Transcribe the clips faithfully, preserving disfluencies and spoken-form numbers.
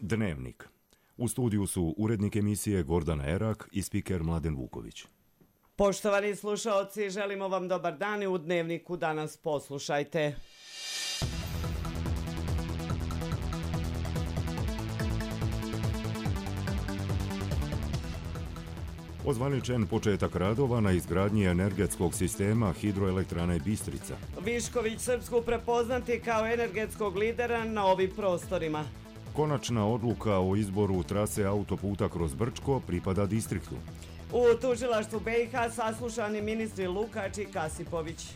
Dnevnik. U studiju su urednik emisije Gordana Erak i spiker Mladen Vuković. Poštovani slušaoci, želimo vam dobar dan i u Dnevniku danas poslušajte. Ozvaničen početak radova na izgradnji energetskog sistema hidroelektrane Bistrica. Višković Srpsku prepoznati kao energetskog lidera na ovim prostorima. Konačna odluka o izboru trase autoputa kroz Brčko pripada distriktu. U tužilaštvu B i H saslušani ministri Lukač i Kasipović.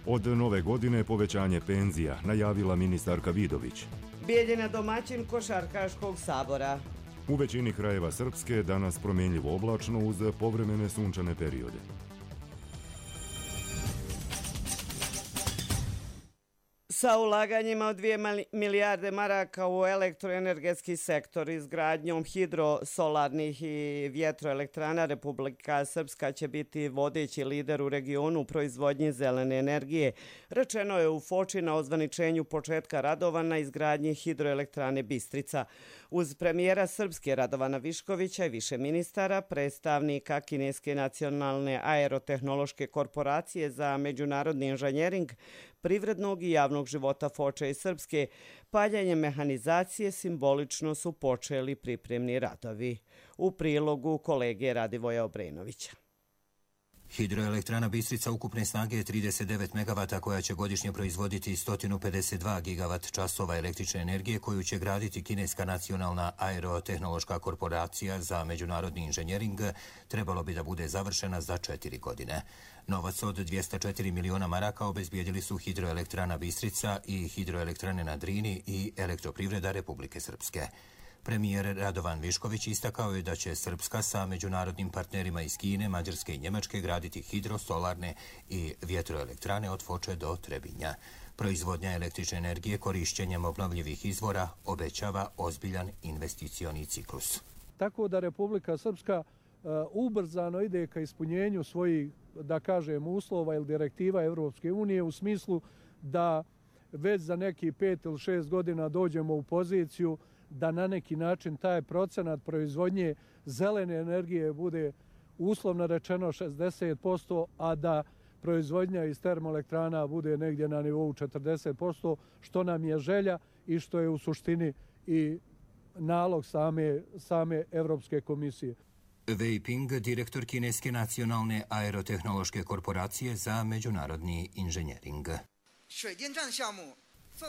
Od nove godine povećanje penzija, najavila ministarka Vidović. Bijeljina domaćin Košarkaškog sabora. U većini krajeva Srpske danas promjenljivo oblačno uz povremene sunčane periode. Sa ulaganjima od dvije milijarde maraka u elektroenergetski sektor, izgradnjom hidrosolarnih i vjetroelektrana, Republika Srpska će biti vodeći lider u regionu u proizvodnji zelene energije. Rečeno je u Foči na ozvaničenju početka radova na izgradnji hidroelektrane Bistrica. Uz premijera Srpske Radovana Viškovića i više ministara, predstavnika Kineske nacionalne aerotehnološke korporacije za međunarodni inženjering, privrednog i javnog života Foče i Srpske, paljenjem mehanizacije simbolično su počeli pripremni radovi. U prilogu kolege Radivoja Obrenovića. Hidroelektrana Bistrica ukupne snage je trideset devet megavata koja će godišnje proizvoditi sto pedeset dva gigavat časova električne energije koju će graditi Kineska nacionalna aerotehnološka korporacija za međunarodni inženjering, trebalo bi da bude završena za četiri godine. Novac od dvjesto četiri miliona maraka obezbijedili su Hidroelektrana Bistrica i Hidroelektrane na Drini i Elektroprivreda Republike Srpske. Premijer Radovan Višković istakao je da će Srpska sa međunarodnim partnerima iz Kine, Mađarske i Njemačke graditi hidrosolarne i vjetroelektrane od Foče do Trebinja. Proizvodnja električne energije korišćenjem obnovljivih izvora obećava ozbiljan investicioni ciklus. Tako da Republika Srpska uh, ubrzano ide ka ispunjenju svojih, da kažem, uslova ili direktiva Evropske unije u smislu da već za neki pet ili šest godina dođemo u poziciju da na neki način taj procenat proizvodnje zelene energije bude uslovno rečeno šezdeset posto, a da proizvodnja iz termoelektrana bude negdje na nivou četrdeset posto, što nam je želja i što je u suštini i nalog same, same Evropske komisije. Wei Ping, direktor Kineske nacionalne aerotehnološke korporacije za međunarodni inženjering.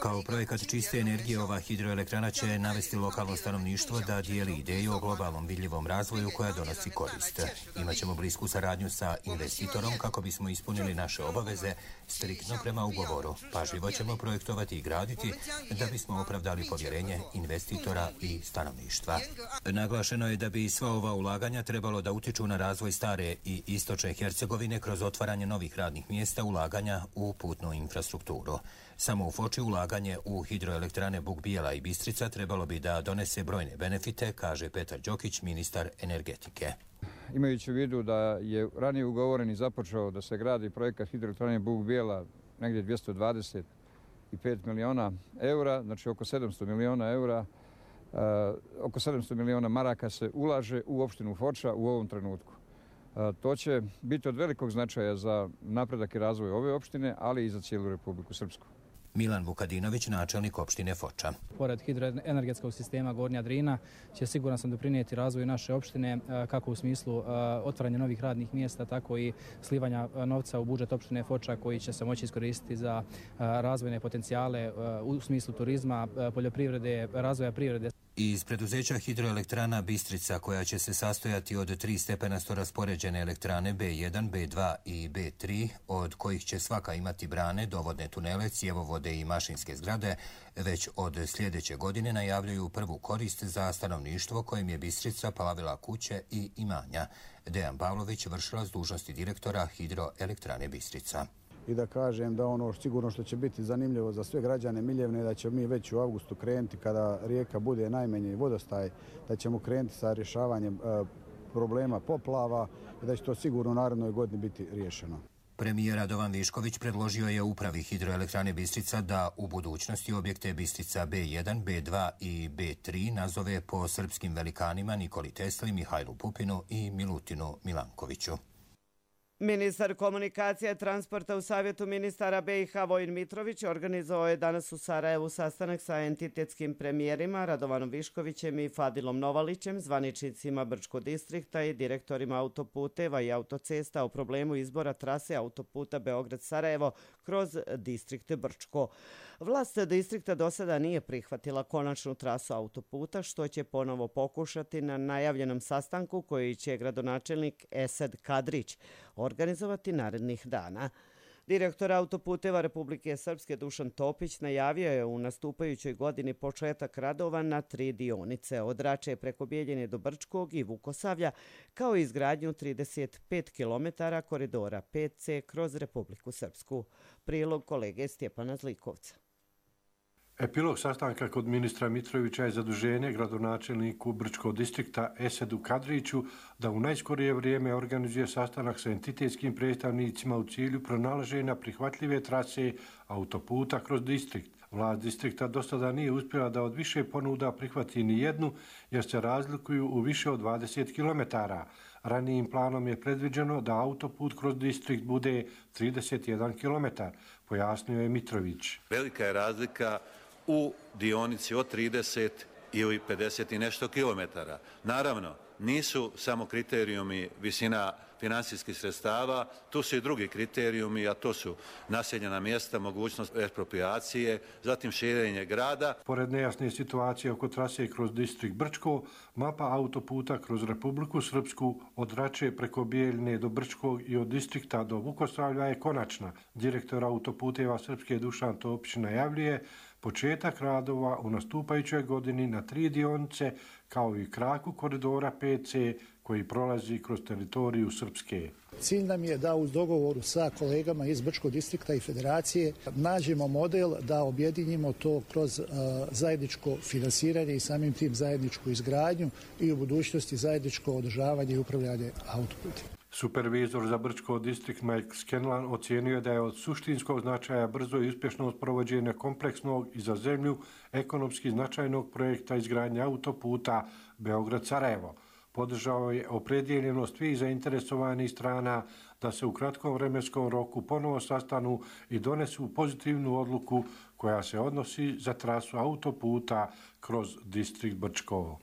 Kao projekat čiste energije, ova hidroelektrana će navesti lokalno stanovništvo da dijeli ideju o globalnom vidljivom razvoju koja donosi korist. Imaćemo blisku saradnju sa investitorom kako bismo ispunili naše obaveze striktno prema ugovoru. Pažljivo ćemo projektovati i graditi da bismo opravdali povjerenje investitora i stanovništva. Naglašeno je da bi sva ova ulaganja trebalo da utiču na razvoj stare i istočne Hercegovine kroz otvaranje novih radnih mjesta, ulaganja u putnu infrastrukturu. Samo u Foči ulaganje u hidroelektrane Bukbijela i Bistrica trebalo bi da donese brojne benefite, kaže Petar Đokić, ministar energetike. Imajući u vidu da je ranije ugovoren i započeo da se gradi projekat hidroelektrane Bukbijela negdje dvjesto dvadeset pet miliona eura, znači oko sedamsto miliona eura, uh, oko sedamsto miliona maraka se ulaže u opštinu Foča u ovom trenutku. Uh, to će biti od velikog značaja za napredak i razvoj ove opštine, ali i za cijelu Republiku Srpsku. Milan Vukadinović, načelnik opštine Foča. Pored hidroenergetskog sistema Gornja Drina će siguran sam doprinijeti razvoju naše opštine kako u smislu otvaranja novih radnih mjesta, tako i slivanja novca u budžet opštine Foča koji će se moći iskoristiti za razvojne potencijale u smislu turizma, poljoprivrede, razvoja privrede. Iz preduzeća hidroelektrana Bistrica, koja će se sastojati od tri stepenasto raspoređene elektrane B jedan, B dva i B tri, od kojih će svaka imati brane, dovodne tunele, cjevovode i mašinske zgrade, već od sljedeće godine najavljuju prvu korist za stanovništvo kojem je Bistrica plavila kuće i imanja. Dejan Pavlović, vršilac dužnosti direktora hidroelektrane Bistrica. I da kažem da ono sigurno što će biti zanimljivo za sve građane Miljevne, da ćemo mi već u avgustu krenuti kada rijeka bude najmanji vodostaj, da ćemo krenuti sa rješavanjem e, problema poplava i da će to sigurno u narednoj godini biti riješeno. Premijer Radovan Višković predložio je upravi Hidroelektrane Bistrica da u budućnosti objekte Bistrica B jedan, B dva i B tri nazove po srpskim velikanima Nikoli Tesli, Mihajlu Pupinu i Milutinu Milankoviću. Ministar komunikacije i transporta u Savjetu ministara B i H Vojin Mitrović organizovao je danas u Sarajevu sastanak sa entitetskim premijerima Radovanom Viškovićem i Fadilom Novalićem, zvaničnicima Brčkog distrikta i direktorima autoputeva i autocesta o problemu izbora trase autoputa Beograd-Sarajevo kroz distrikt Brčko. Vlast distrikta do sada nije prihvatila konačnu trasu autoputa, što će ponovo pokušati na najavljenom sastanku koji će gradonačelnik Esed Kadrić organizovati narednih dana. Direktor autoputeva Republike Srpske Dušan Topić najavio je u nastupajućoj godini početak radova na tri dionice od Rače preko Bijeljine do Brčkog i Vukosavlja, kao i izgradnju trideset pet kilometara koridora pet C kroz Republiku Srpsku. Prilog kolege Stjepana Zlikovca. Epilog sastanka kod ministra Mitrovića je zaduženje gradonačelniku Brčkog distrikta Esedu Kadriću da u najskorije vrijeme organizuje sastanak sa entitetskim predstavnicima u cilju pronalaženja prihvatljive trase autoputa kroz distrikt. Vlast distrikta do sada nije uspjela da od više ponuda prihvati ni jednu, jer se razlikuju u više od dvadeset kilometara. Ranijim planom je predviđeno da autoput kroz distrikt bude trideset jedan kilometar, pojasnio je Mitrović. Velika je razlika u dionici od trideset ili pedeset i nešto kilometara. Naravno, nisu samo kriterijumi visina finansijskih sredstava, tu su i drugi kriterijumi, a to su naseljena mjesta, mogućnost ekspropriacije, zatim širenje grada. Pored nejasne situacije oko trase kroz distrikt Brčko, mapa autoputa kroz Republiku Srpsku od Rače preko Bijeljine do Brčkog i od distrikta do Vukosavlja je konačna. Direktor autoputeva Srpske Dušan Topić najavljuje početak radova u nastupajućoj godini na tri dionice, kao i kraku koridora pet C koji prolazi kroz teritoriju Srpske. Cilj nam je da uz dogovoru sa kolegama iz Brčkog distrikta i federacije nađemo model da objedinimo to kroz uh, zajedničko finansiranje i samim tim zajedničku izgradnju i u budućnosti zajedničko održavanje i upravljanje autoputima. Supervizor za Brčko distrikt Mike Scanlan ocijenio je da je od suštinskog značaja brzo i uspješno sprovođenje kompleksnog i za zemlju ekonomski značajnog projekta izgradnje autoputa Beograd-Sarajevo. Podržao je opredjeljenost svih zainteresovanih strana da se u kratkom vremenskom roku ponovo sastanu i donesu pozitivnu odluku koja se odnosi za trasu autoputa kroz distrikt Brčko.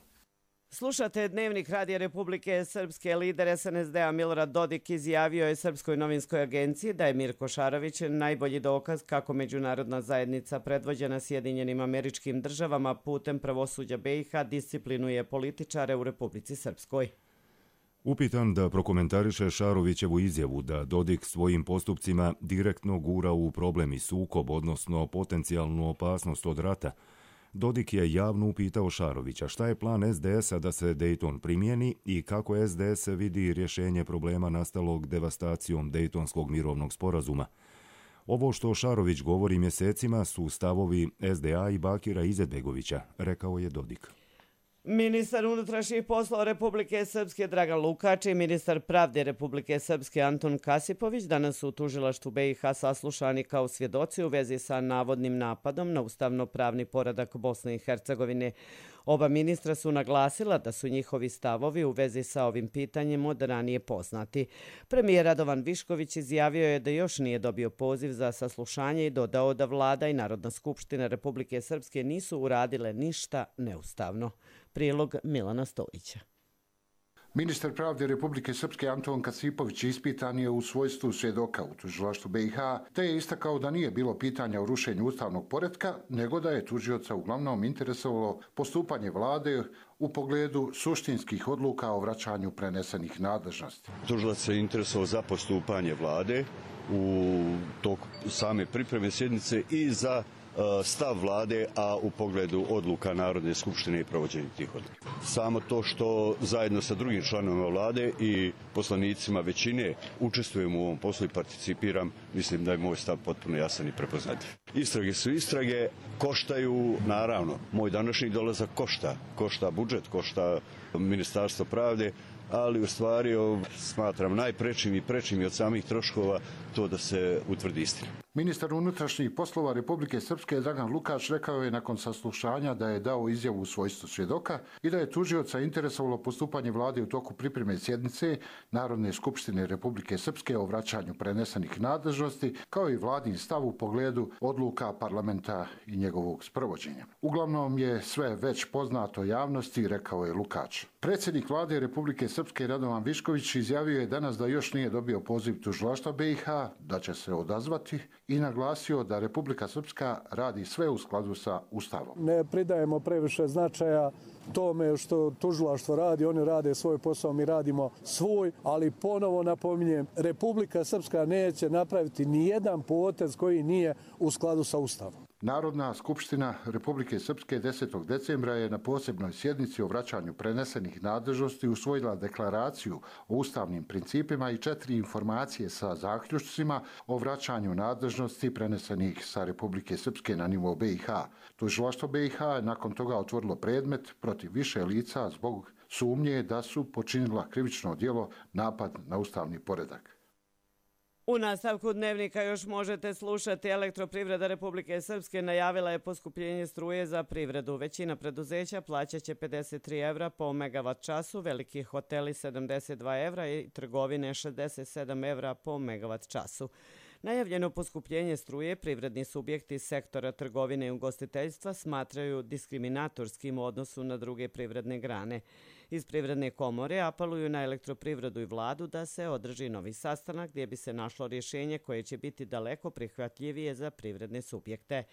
Slušate Dnevnik Radija Republike Srpske. Lider S N S D-a Milorad Dodik izjavio je Srpskoj novinskoj agenciji da je Mirko Šarović najbolji dokaz kako međunarodna zajednica predvođena Sjedinjenim Američkim Državama putem pravosuđa B i H disciplinuje političare u Republici Srpskoj. Upitan da prokomentariše Šarovićevu izjavu da Dodik svojim postupcima direktno gura u problem i sukob, odnosno potencijalnu opasnost od rata, Dodik je javno upitao Šarovića šta je plan S D S-a da se Dejton primjeni i kako S D S vidi rješenje problema nastalog devastacijom Dejtonskog mirovnog sporazuma. Ovo što Šarović govori mjesecima su stavovi S D A i Bakira Izetbegovića, rekao je Dodik. Ministar unutrašnjih poslova Republike Srpske Dragan Lukač i ministar pravde Republike Srpske Anton Kasipović danas su u tužilaštvu B i H saslušani kao svjedoci u vezi sa navodnim napadom na ustavno-pravni poredak Bosne i Hercegovine. Oba ministra su naglasila da su njihovi stavovi u vezi sa ovim pitanjem od ranije poznati. Premijer Radovan Višković izjavio je da još nije dobio poziv za saslušanje i dodao da vlada i Narodna skupština Republike Srpske nisu uradile ništa neustavno. Prilog Milana Stojića. Ministar pravde Republike Srpske Anton Kasipović ispitan je u svojstvu svjedoka u tužilaštvu B i H, te je istakao da nije bilo pitanja o rušenju ustavnog poretka, nego da je tužioca uglavnom interesovalo postupanje vlade u pogledu suštinskih odluka o vraćanju prenesenih nadležnosti. Tužilac se interesovao za postupanje vlade u toku same pripreme sjednice i za stav vlade, a u pogledu odluka Narodne skupštine i provođenja tih odluka. Samo to što zajedno sa drugim članovima vlade i poslanicima većine učestvujemo u ovom poslu i participiram, mislim da je moj stav potpuno jasan i prepoznatljiv. Istrage su istrage, koštaju, naravno, moj današnji dolazak košta. Košta budžet, košta Ministarstvo pravde, ali u stvari smatram najprečim i prečim i od samih troškova to da se utvrdi istina. Ministar unutrašnjih poslova Republike Srpske Dragan Lukač rekao je nakon saslušanja da je dao izjavu u svojstvu svjedoka i da je tužioca interesovalo postupanje vlade u toku pripreme sjednice Narodne skupštine Republike Srpske o vraćanju prenesenih nadležnosti, kao i vladin stav u pogledu odluka parlamenta i njegovog sprovođenja. Uglavnom je sve već poznato javnosti, rekao je Lukač. Predsjednik vlade Republike Srpske Radovan Višković izjavio je danas da još nije dobio poziv tužilaštva B i H, da će se odazvati i naglasio da Republika Srpska radi sve u skladu sa Ustavom. Ne pridajemo previše značaja tome što tužilaštvo radi, oni rade svoj posao, mi radimo svoj, ali ponovo napominjem, Republika Srpska neće napraviti ni jedan potez koji nije u skladu sa Ustavom. Narodna skupština Republike Srpske desetog decembra je na posebnoj sjednici o vraćanju prenesenih nadležnosti usvojila deklaraciju o ustavnim principima i četiri informacije sa zaključcima o vraćanju nadležnosti prenesenih sa Republike Srpske na nivo B i H. Tužilaštvo B i H je nakon toga otvorilo predmet protiv više lica zbog sumnje da su počinila krivično djelo napad na ustavni poredak. U nastavku dnevnika još možete slušati. Elektroprivreda Republike Srpske najavila je poskupljenje struje za privredu. Većina preduzeća plaćat će pedeset tri evra po megavat času, veliki hoteli sedamdeset dva evra i trgovine šezdeset sedam evra po megavat času. Najavljeno poskupljenje struje privredni subjekti sektora trgovine i ugostiteljstva smatraju diskriminatorskim u odnosu na druge privredne grane. Iz Privredne komore apeluju na elektroprivredu i vladu da se održi novi sastanak gdje bi se našlo rješenje koje će biti daleko prihvatljivije za privredne subjekte.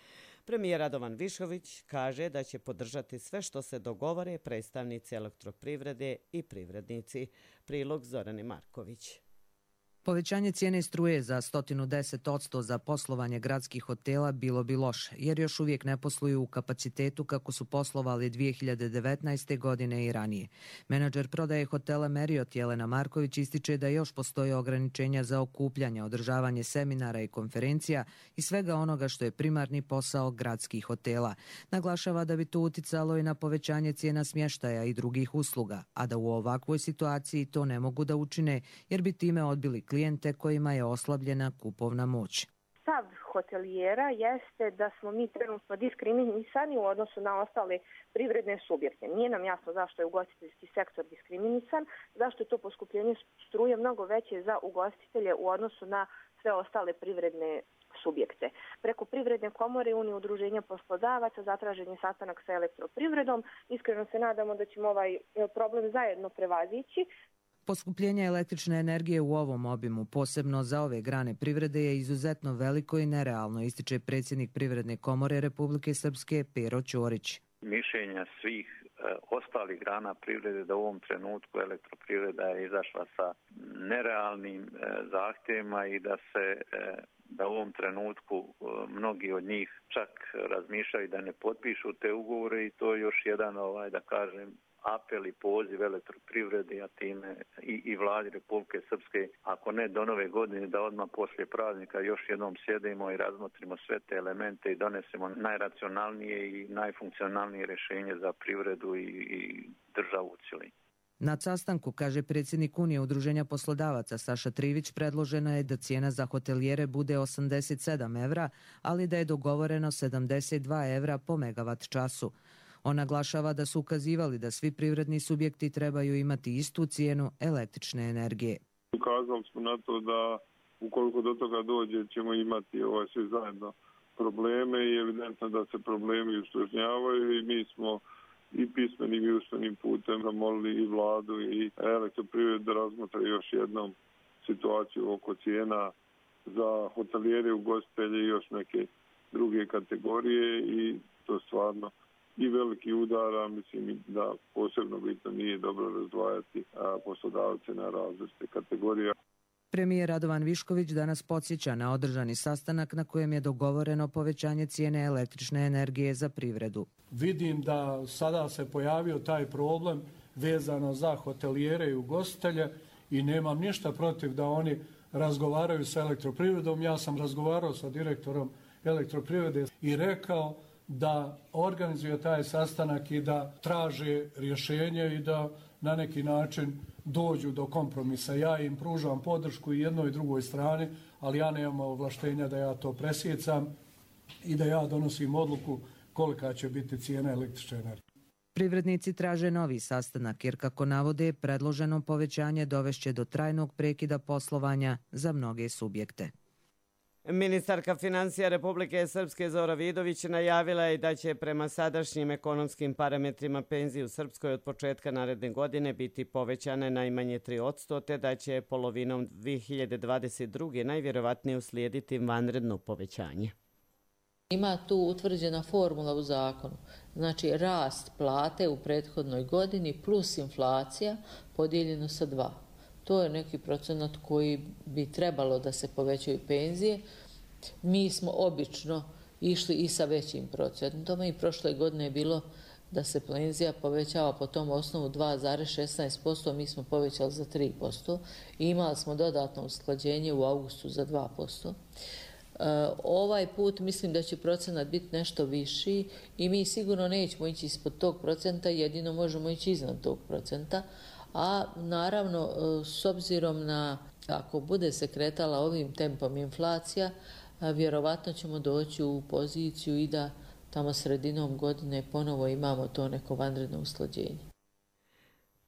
Premijer Radovan Višković kaže da će podržati sve što se dogovore predstavnici elektroprivrede i privrednici. Prilog Zorane Marković. Povećanje cijene struje za sto deset posto za poslovanje gradskih hotela bilo bi loše, jer još uvijek ne posluju u kapacitetu kako su poslovali dvije hiljade devetnaeste. godine i ranije. Menadžer prodaje hotela Marriott Jelena Marković ističe da još postoje ograničenja za okupljanje, održavanje seminara i konferencija i svega onoga što je primarni posao gradskih hotela. Naglašava da bi to uticalo i na povećanje cijena smještaja i drugih usluga, a da u ovakvoj situaciji to ne mogu da učine jer bi time odbili klijente kojima je oslabljena kupovna moć. Stav hotelijera jeste da smo mi trenutno diskriminisani u odnosu na ostale privredne subjekte. Nije nam jasno zašto je ugostiteljski sektor diskriminisan, zašto je to poskupljenje struje mnogo veće za ugostitelje u odnosu na sve ostale privredne subjekte. Preko Privredne komore i Unije udruženja poslodavaca zatražen je sastanak sa elektroprivredom. Iskreno se nadamo da ćemo ovaj problem zajedno prevazići. Poskupljenje električne energije u ovom obimu, posebno za ove grane privrede, je izuzetno veliko i nerealno, ističe predsjednik Privredne komore Republike Srpske Pero Ćorić. Mišljenja svih e, ostalih grana privrede da u ovom trenutku elektroprivreda je izašla sa nerealnim e, zahtjevima i da se e, da u ovom trenutku e, mnogi od njih čak razmišljaju da ne potpišu te ugovore i to je još jedan, ovaj, da kažem, apel i poziv elektroprivredi, a time i, i vladi Republike Srpske, ako ne do nove godine, da odmah poslije praznika još jednom sjedimo i razmotrimo sve te elemente i donesemo najracionalnije i najfunkcionalnije rješenje za privredu i, i državu u cjelini. Na sastanku, kaže predsjednik Unije udruženja poslodavaca Saša Trivić, predložena je da cijena za hotelijere bude osamdeset sedam evra, ali da je dogovoreno sedamdeset dva evra po megavat času. On naglašava da su ukazivali da svi privredni subjekti trebaju imati istu cijenu električne energije. Ukazali smo na to da ukoliko do toga dođe ćemo imati ovaj svi zajedno probleme i evidentno da se problemi ustožnjavaju i mi smo i pismenim i usmenim putem zamolili i vladu i elektroprivredu da razmotre još jednom situaciju oko cijena za hotelijere, ugostitelje i još neke druge kategorije i to stvarno i veliki udara, mislim da posebno bitno nije dobro razdvajati poslodavce na različite kategorije. Premijer Radovan Višković danas podsjeća na održani sastanak na kojem je dogovoreno povećanje cijene električne energije za privredu. Vidim da sada se pojavio taj problem vezano za hotelijere i ugostitelje i nemam ništa protiv da oni razgovaraju sa elektroprivredom. Ja sam razgovarao sa direktorom elektroprivrede i rekao da organizuje taj sastanak i da traže rješenje i da na neki način dođu do kompromisa. Ja im pružam podršku i jednoj i drugoj strani, ali ja nemam ovlaštenja da ja to presjecam i da ja donosim odluku kolika će biti cijena električne energije. Privrednici traže novi sastanak jer, kako navode, predloženo povećanje dovešće do trajnog prekida poslovanja za mnoge subjekte. Ministarka financija Republike Srpske Zora Vidović najavila je da će prema sadašnjim ekonomskim parametrima penzije u Srpskoj od početka naredne godine biti povećane najmanje tri posto, te da će polovinom dve hiljade dvadeset druge najvjerovatnije uslijediti vanredno povećanje. Ima tu utvrđena formula u zakonu, znači rast plate u prethodnoj godini plus inflacija podijeljeno sa dva. To je neki procenat koji bi trebalo da se povećaju penzije. Mi smo obično išli i sa većim procentom i prošle godine je bilo da se penzija povećava po tom osnovu dva zarez šesnaest posto, mi smo povećali za tri posto i imali smo dodatno usklađenje u avgustu za dva posto. Ovaj put mislim da će procenat biti nešto viši i mi sigurno nećemo ići ispod tog procenta, jedino možemo ići iznad tog procenta, a naravno s obzirom na, ako bude se kretala ovim tempom inflacija, vjerovatno ćemo doći u poziciju i da tamo sredinom godine ponovo imamo to neko vanredno usklađenje.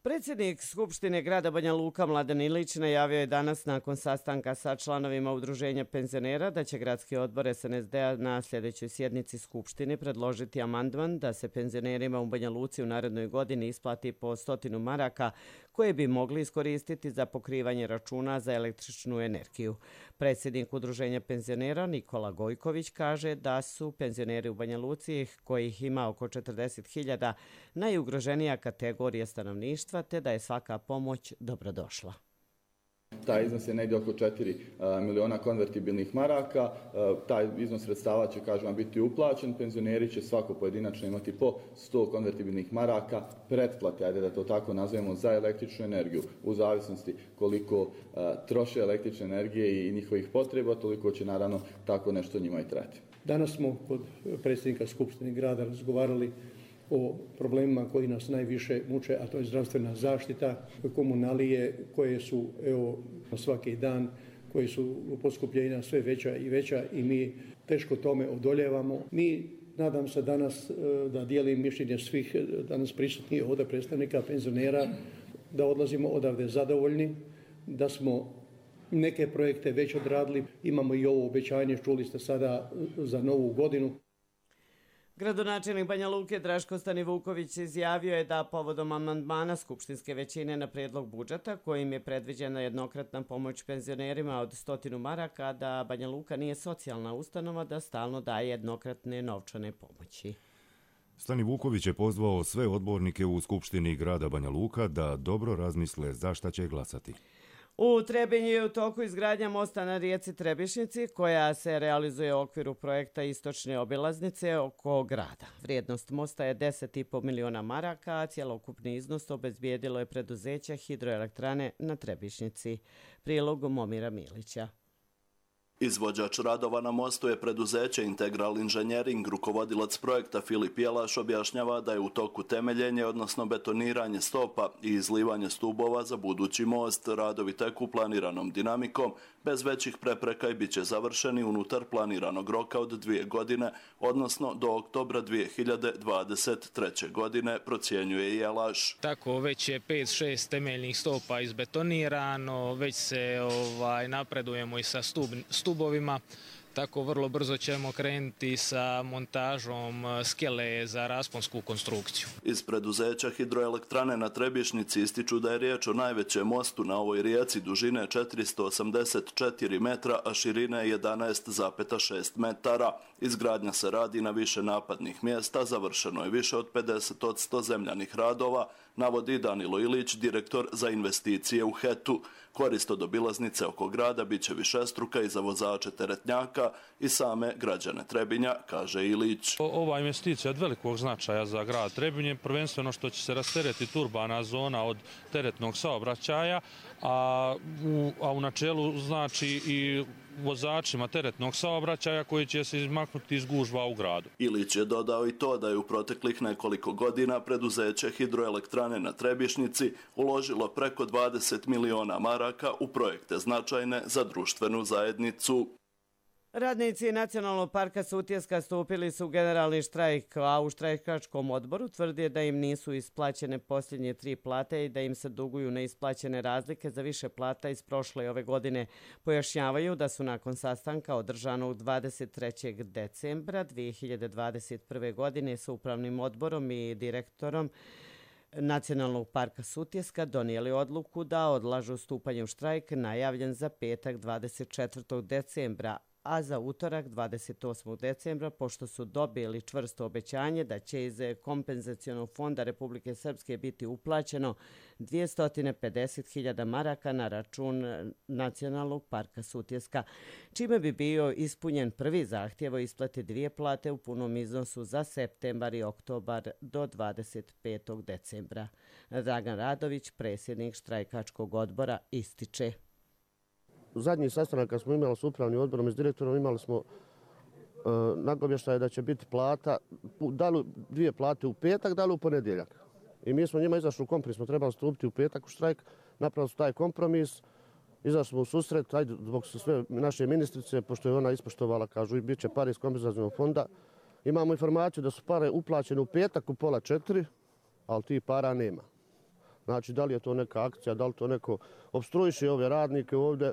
Predsjednik Skupštine grada Banja Luka Mladen Ilić najavio je danas nakon sastanka sa članovima Udruženja penzionera da će gradski odbor S N S D-a na sljedećoj sjednici Skupštine predložiti amandman da se penzionerima u Banja Luci u narednoj godini isplati po stotinu maraka koje bi mogli iskoristiti za pokrivanje računa za električnu energiju. Predsjednik Udruženja penzionera Nikola Gojković kaže da su penzioneri u Banja Luci, kojih ima oko četrdeset hiljada, najugroženija kategorija stanovništva, te da je svaka pomoć dobrodošla. Taj iznos je negdje oko četiri miliona konvertibilnih maraka. Taj iznos sredstava će, kažem vam, biti uplaćen. Penzioneri će svako pojedinačno imati po sto konvertibilnih maraka pretplate, ajde da to tako nazovemo, za električnu energiju. U zavisnosti koliko troše električne energije i njihovih potreba, toliko će naravno tako nešto njima i trajati. Danas smo kod predsjednika Skupštine grada razgovarali o problemima koji nas najviše muče, a to je zdravstvena zaštita, komunalije koje su evo svaki dan, koji su poskupljenja sve veća i veća i mi teško tome odoljevamo. Mi, nadam se danas da dijelim mišljenje svih danas prisutnih ovdje predstavnika penzionera, da odlazimo odavde zadovoljni, da smo neke projekte već odradili. Imamo i ovo obećanje, čuli ste sada, za novu godinu. Gradonačelnik Banja Luke Draško Stanivuković izjavio je da povodom amandmana skupštinske većine na prijedlog budžeta, kojim je predviđena jednokratna pomoć penzionerima od stotinu maraka, da Banja Luka nije socijalna ustanova, da stalno daje jednokratne novčane pomoći. Stanivuković je pozvao sve odbornike u Skupštini grada Banja Luka da dobro razmisle za šta će glasati. U Trebinju je u toku izgradnja mosta na rijeci Trebišnici, koja se realizuje u okviru projekta Istočne obilaznice oko grada. Vrijednost mosta je deset i po miliona maraka, a cjelokupni iznos obezbijedilo je preduzeće Hidroelektrane na Trebišnici. Prilog Momira Milića. Izvođač radova na mostu je preduzeće Integral Inženjering. Rukovodilac projekta Filip Jelaš objašnjava da je u toku temeljenje, odnosno betoniranje stopa i izlivanje stubova za budući most. Radovi teku planiranom dinamikom, bez većih prepreka i bit će završeni unutar planiranog roka od dvije godine, odnosno do oktobra dvije hiljade dvadeset treće. godine, procjenjuje Jelaš. Tako već je pet šest temeljnih stopa izbetonirano, već se ovaj, napredujemo i sa stub, stubovima. Tako vrlo brzo ćemo krenuti sa montažom skele za rasponsku konstrukciju. Iz preduzeća Hidroelektrane na Trebišnici ističu da je riječ o najvećem mostu na ovoj rijeci dužine četiristo osamdeset četiri metra, a širine jedanaest zarez šest metara. Izgradnja se radi na više napadnih mjesta, završeno je više od pedeset posto zemljanih radova, navodi Danilo Ilić, direktor za investicije u H E T-u. Korist od obilaznice oko grada bit će višestruka i za vozače teretnjaka i same građane Trebinja, kaže Ilić. Ova investicija je od velikog značaja za grad Trebinje, prvenstveno što će se rasteretiti urbana zona od teretnog saobraćaja, a u, a u načelu znači i vozačima teretnog saobraćaja koji će se izmaknuti iz gužva u gradu. Ilić je dodao i to da je u proteklih nekoliko godina preduzeće Hidroelektrane na Trebišnjici uložilo preko dvadeset miliona maraka u projekte značajne za društvenu zajednicu. Radnici Nacionalnog parka Sutjeska stupili su u generalni štrajk, a u štrajkačkom odboru tvrdi da im nisu isplaćene posljednje tri plate i da im se duguju neisplaćene razlike za više plata iz prošle ove godine. Pojašnjavaju da su nakon sastanka održanog dvadeset trećeg decembra dvije hiljade dvadeset prve. godine sa upravnim odborom i direktorom Nacionalnog parka Sutjeska donijeli odluku da odlažu stupanje u štrajk najavljen za petak dvadeset četvrtog decembra, a za utorak dvadeset osmog decembra, pošto su dobili čvrsto obećanje da će iz kompenzacionog fonda Republike Srpske biti uplaćeno dvjesto pedeset hiljada maraka na račun Nacionalnog parka Sutjeska, čime bi bio ispunjen prvi zahtjev o isplati dvije plate u punom iznosu za septembar i oktobar do dvadeset petog decembra. Dragan Radović, predsjednik štrajkačkog odbora, ističe. Zadnji sastanak kad smo imali s upravnim odborom i s direktorom imali smo uh, nagovještaj da će biti plata, da li dvije plate u petak, da li u ponedjeljak. I mi smo njima izašli u kompromis, smo trebali stupiti u petak u štrajk, napravili su taj kompromis, izašli smo u susret, ajde, zbog sve naše ministrice, pošto je ona ispoštovala, kažu, i bit će pare iz kompenzacionog fonda. Imamo informaciju da su pare uplaćene u petak u pola četiri, ali ti para nema. Znači, da li je to neka akcija, da li to neko opstruiše ove radnike ovdje.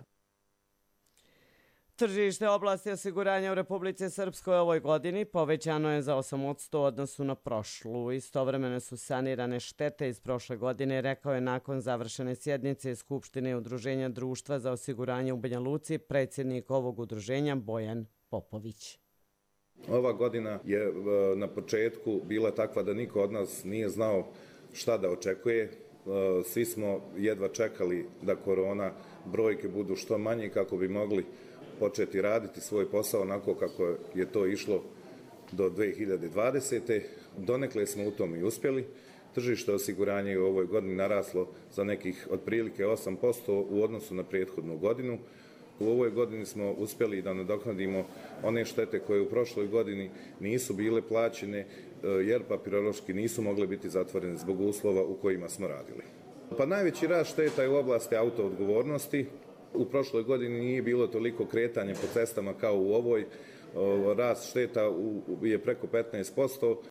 Tržište oblasti osiguranja u Republici Srpskoj ovoj godini povećano je za osam posto u odnosu na prošlu. Istovremeno su sanirane štete iz prošle godine, rekao je nakon završene sjednice Skupštine Udruženja društva za osiguranje u Banja Luci predsjednik ovog udruženja Bojan Popović. Ova godina je na početku bila takva da niko od nas nije znao šta da očekuje. Svi smo jedva čekali da korona brojke budu što manje kako bi mogli početi raditi svoj posao onako kako je to išlo do dvije hiljade dvadesete. Donekle smo u tom i uspjeli. Tržište osiguranja je u ovoj godini naraslo za nekih otprilike osam posto u odnosu na prethodnu godinu. U ovoj godini smo uspjeli da nadoknadimo one štete koje u prošloj godini nisu bile plaćene jer papirološki nisu mogle biti zatvorene zbog uslova u kojima smo radili. Pa najveći rast šteta je u oblasti autoodgovornosti. U prošloj godini nije bilo toliko kretanja po cestama kao u ovoj. Rast šteta je preko petnaest posto.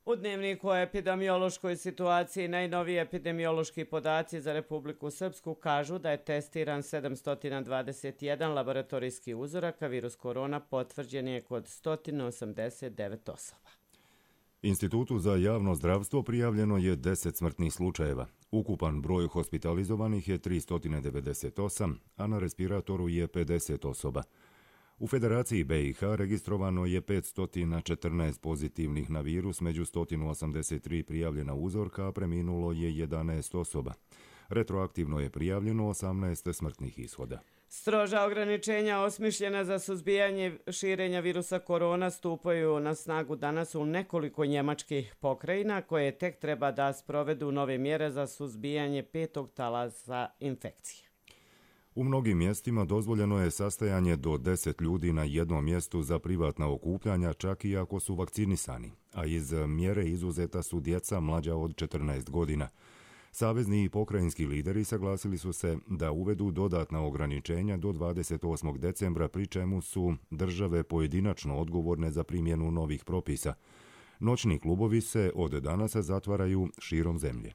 U dnevniku o epidemiološkoj situaciji najnoviji epidemiološki podaci za Republiku Srpsku kažu da je testiran sedamsto dvadeset jedan laboratorijski uzorak, a virus korona potvrđen je kod sto osamdeset devet osoba. Institutu za javno zdravstvo prijavljeno je deset smrtnih slučajeva. Ukupan broj hospitalizovanih je tristo devedeset osam, a na respiratoru je pedeset osoba. U Federaciji B i H registrovano je petsto četrnaest pozitivnih na virus, među sto osamdeset tri prijavljena uzorka, a preminulo je jedanaest osoba. Retroaktivno je prijavljeno osamnaest smrtnih ishoda. Stroža ograničenja osmišljena za suzbijanje širenja virusa korona stupaju na snagu danas u nekoliko njemačkih pokrajina koje tek treba da sprovedu nove mjere za suzbijanje petog talasa infekcije. U mnogim mjestima dozvoljeno je sastajanje do deset ljudi na jednom mjestu za privatna okupljanja, čak i ako su vakcinisani, a iz mjere izuzeta su djeca mlađa od četrnaest godina. Savezni i pokrajinski lideri saglasili su se da uvedu dodatna ograničenja do dvadeset osmog decembra, pri čemu su države pojedinačno odgovorne za primjenu novih propisa. Noćni klubovi se od danas zatvaraju širom zemlje.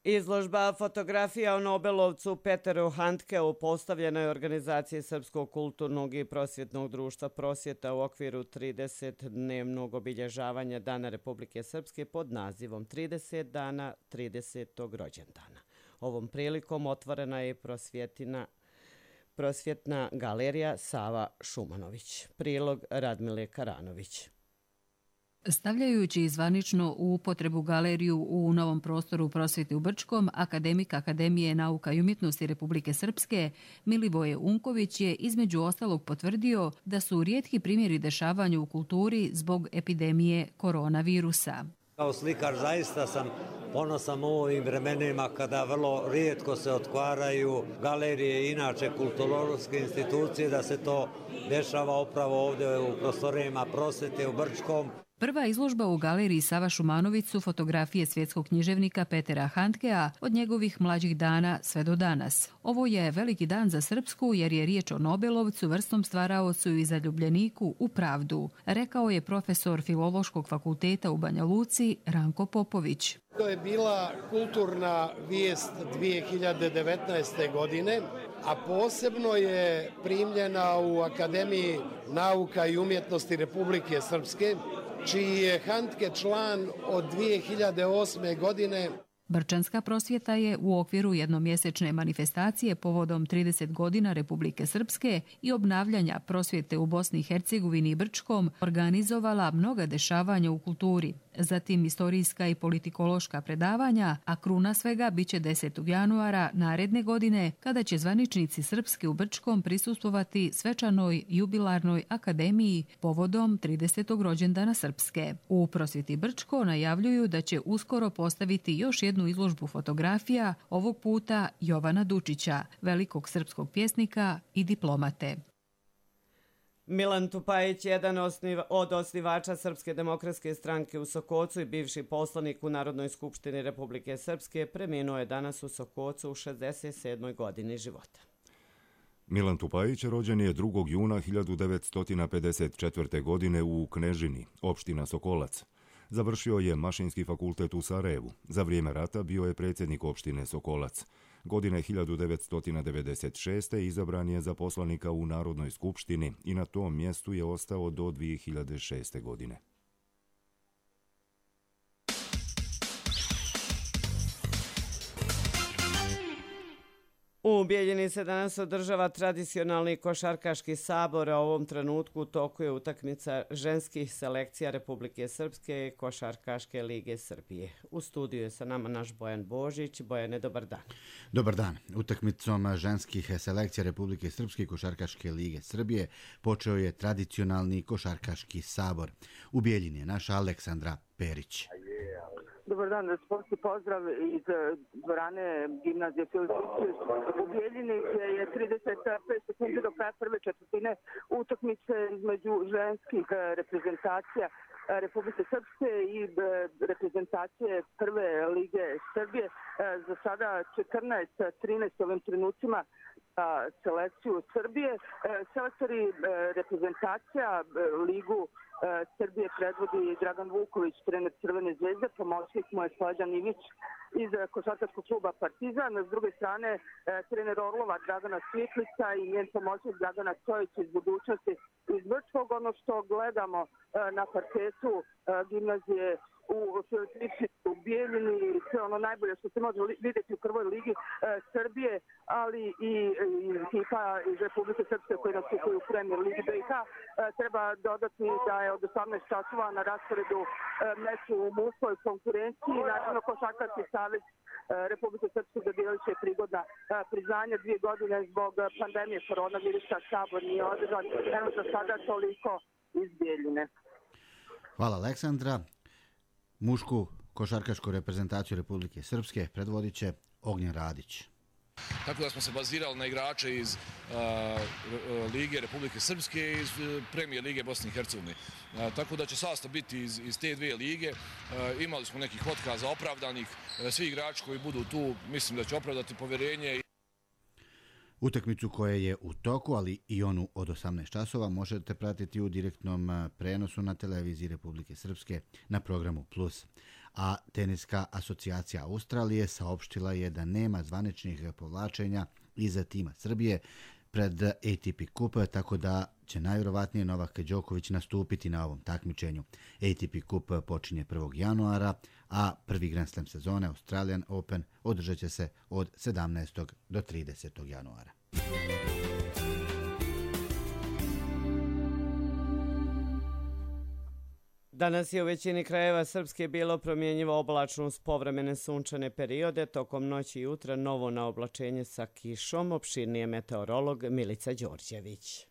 Izložba fotografija o Nobelovcu Peteru Handkeu postavljena je organizaciji Srpskog kulturnog i prosvjetnog društva Prosvjeta u okviru tridesetdnevnog obilježavanja Dana Republike Srpske pod nazivom trideset dana tridesetog rođendana. Ovom prilikom otvorena je prosvjetina prosvjetna galerija Sava Šumanović. Prilog Radmile Karanović. Stavljajući zvanično u upotrebu galeriju u novom prostoru prosvjete u Brčkom, akademik Akademije nauka i umjetnosti Republike Srpske Milivoje Unković je između ostalog potvrdio da su rijetki primjeri dešavanja u kulturi zbog epidemije koronavirusa. Kao slikar zaista sam ponosan u ovim vremenima kada vrlo rijetko se otvaraju galerije i inače kulturološke institucije, da se to dešava upravo ovdje u prostorijama prosvjete u Brčkom. Prva izložba u galeriji Sava Šumanović su fotografije svjetskog književnika Petera Handkea od njegovih mlađih dana sve do danas. Ovo je veliki dan za Srpsku jer je riječ o Nobelovcu, vrsnom stvaraocu i zaljubljeniku u pravdu, rekao je profesor Filološkog fakulteta u Banja Luci Ranko Popović. To je bila kulturna vijest dvije hiljade devetnaeste. godine, a posebno je primljena u Akademiji nauka i umjetnosti Republike Srpske, čiji je Handke član od dvije hiljade osme. godine. Brčanska prosvjeta je u okviru jednomjesečne manifestacije povodom trideset godina Republike Srpske i obnavljanja prosvjete u Bosni i Hercegovini i Brčkom organizovala mnoga dešavanja u kulturi, zatim istorijska i politikološka predavanja, a kruna svega biće desetog januara naredne godine kada će zvaničnici Srpske u Brčkom prisustvovati svečanoj jubilarnoj akademiji povodom tridesetog rođendana Srpske. U prosvjeti Brčko najavljuju da će uskoro postaviti još jednu izložbu fotografija, ovog puta Jovana Dučića, velikog srpskog pjesnika i diplomate. Milan Tupajić, jedan od osnivača Srpske demokratske stranke u Sokocu i bivši poslanik u Narodnoj skupštini Republike Srpske, preminuo je danas u Sokocu u šezdeset sedmoj. godini života. Milan Tupajić rođen je drugog juna hiljadu devetsto pedeset četvrte. godine u Knežini, opština Sokolac. Završio je Mašinski fakultet u Sarajevu. Za vrijeme rata bio je predsjednik opštine Sokolac. Godine hiljadu devetsto devedeset šeste. izabran je za poslanika u Narodnoj skupštini i na tom mjestu je ostao do dvije hiljade šeste. godine. U Bijeljini se danas održava tradicionalni košarkaški sabor, a u ovom trenutku u toku je utakmica ženskih selekcija Republike Srpske i Košarkaške lige Srbije. U studiju je sa nama naš Bojan Božić. Bojane, dobar dan. Dobar dan. Utakmicom ženskih selekcija Republike Srpske i Košarkaške lige Srbije počeo je tradicionalni košarkaški sabor. U Bijeljini je naša Aleksandra Perić. Dobar dan, sportski pozdrav iz dvorane gimnazije Filozofije u Bijeljini, gdje je trideset pet sekundi do kraja prve četvrtine utakmice između ženskih reprezentacija Republike Srpske i reprezentacije prve lige Srbije. Za sada četrnaest trinaest ovim trenucima selekciju Srbije. Selektori reprezentacija ligu Srbije predvodi Dragan Vuković, trener Crvene zvezde, pomoćnik mu je Slađan Ivić iz košarkaškog kluba Partizan. S druge strane, trener Orlova Dragana Svitlica i njen pomoćnik Dragana Stojić iz budućnosti iz Brčkog. Ono što gledamo na parketu gimnazije u Filozofiji u Bijeljini, sve ono najbolje što se može vidjeti u prvoj ligi Srbije, ali i ekipa iz Republike Srpske koji nastupaju u Premier ligi B i H. Treba dodati da je od osamnaest časova na rasporedu meč u muškoj konkurenciji. Naravno, Košarkaški savez Republike Srpske dodijelit će prigodna priznanja. Dvije godine zbog pandemije koronavirusa sabor nije održan. Evo za sada toliko iz Bijeljine. Hvala Aleksandra. Mušku košarkašku reprezentaciju Republike Srpske predvodit će Ognjen Radić. Tako da smo se bazirali na igrače iz uh, Lige Republike Srpske i iz Premijer Lige Bosne i Hercegovine. Uh, tako da će sastav biti iz, iz te dvije lige. Uh, imali smo nekih otkaza opravdanih. Uh, svi igrači koji budu tu mislim da će opravdati povjerenje. Utakmicu koja je u toku, ali i onu od osamnaest časova, možete pratiti u direktnom prenosu na televiziji Republike Srpske na programu Plus. A Teniska asocijacija Australije saopštila je da nema zvaničnih povlačenja iza tima Srbije pred A T P Cup, tako da će najvjerovatnije Novak Đoković nastupiti na ovom takmičenju. A T P Cup počinje prvog januara, a prvi Grand Slam sezone Australian Open održat će se od sedamnaestog do tridesetog januara. Danas je u većini krajeva Srpske bilo promjenjivo oblačno uz povremene sunčane periode. Tokom noći i jutra novo naoblačenje sa kišom, opširnije meteorolog Milica Đorđević.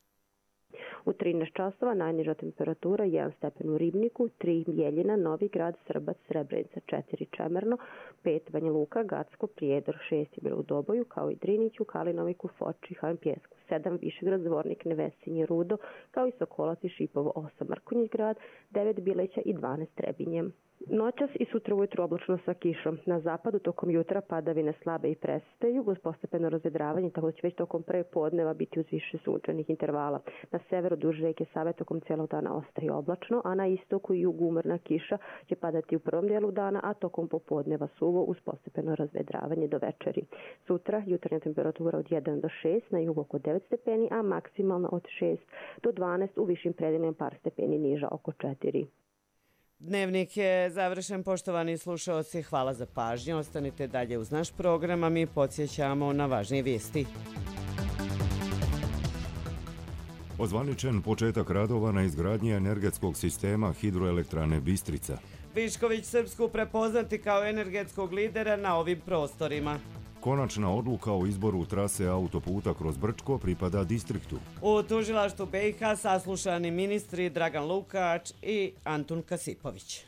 U trinaest časova najniža temperatura jedan stepen u Ribniku, tri Bjeljina, Novi Grad, Srbac, Srebrenica, četiri Čemerno, pet Banja Luka, Gacko, Prijedor, šest je bilo u Doboju, kao i Driniću, Kalinoviku, Foči, Havan Pjesku, sedam Višegrad, Zvornik, Nevesinje, Rudo, kao i Sokolac i Šipovo, osam Mrkonjić Grad, devet Bileća i dvanaest Trebinje. Noćas i sutra ujutru oblačno sa kišom. Na zapadu tokom jutra padavine slabe i prestaju uz postepeno razvedravanje, tako da će već tokom pre podneva biti uz više sunčanih intervala. Na severu duž reke Save tokom cijelog dana ostaje oblačno, a na istoku i jugu umrna kiša će padati u prvom dijelu dana, a tokom popodneva suvo uz postepeno razvedravanje do večeri. Sutra jutarnja temperatura od jedan do šest, na jugu oko devet stepeni, a maksimalna od šest do dvanaest, u višim predelima par stepeni niža oko četiri. Dnevnik je završen, poštovani slušaoci, hvala za pažnju. Ostanite dalje uz naš program, a mi podsjećamo na važnije vijesti. Ozvaničen početak radova na izgradnji energetskog sistema hidroelektrane Bistrica. Višković Srpsku prepoznati kao energetskog lidera na ovim prostorima. Konačna odluka o izboru trase autoputa kroz Brčko pripada distriktu. U tužilaštvu B i H saslušani ministri Dragan Lukač i Antun Kasipović.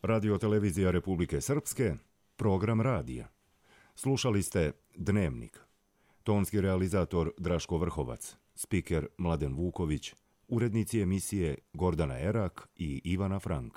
Radio-televizija Republike Srpske, program radija. Slušali ste Dnevnik. Tonski realizator Draško Vrhovac, spiker Mladen Vuković, urednici emisije Gordana Erak i Ivana Frank.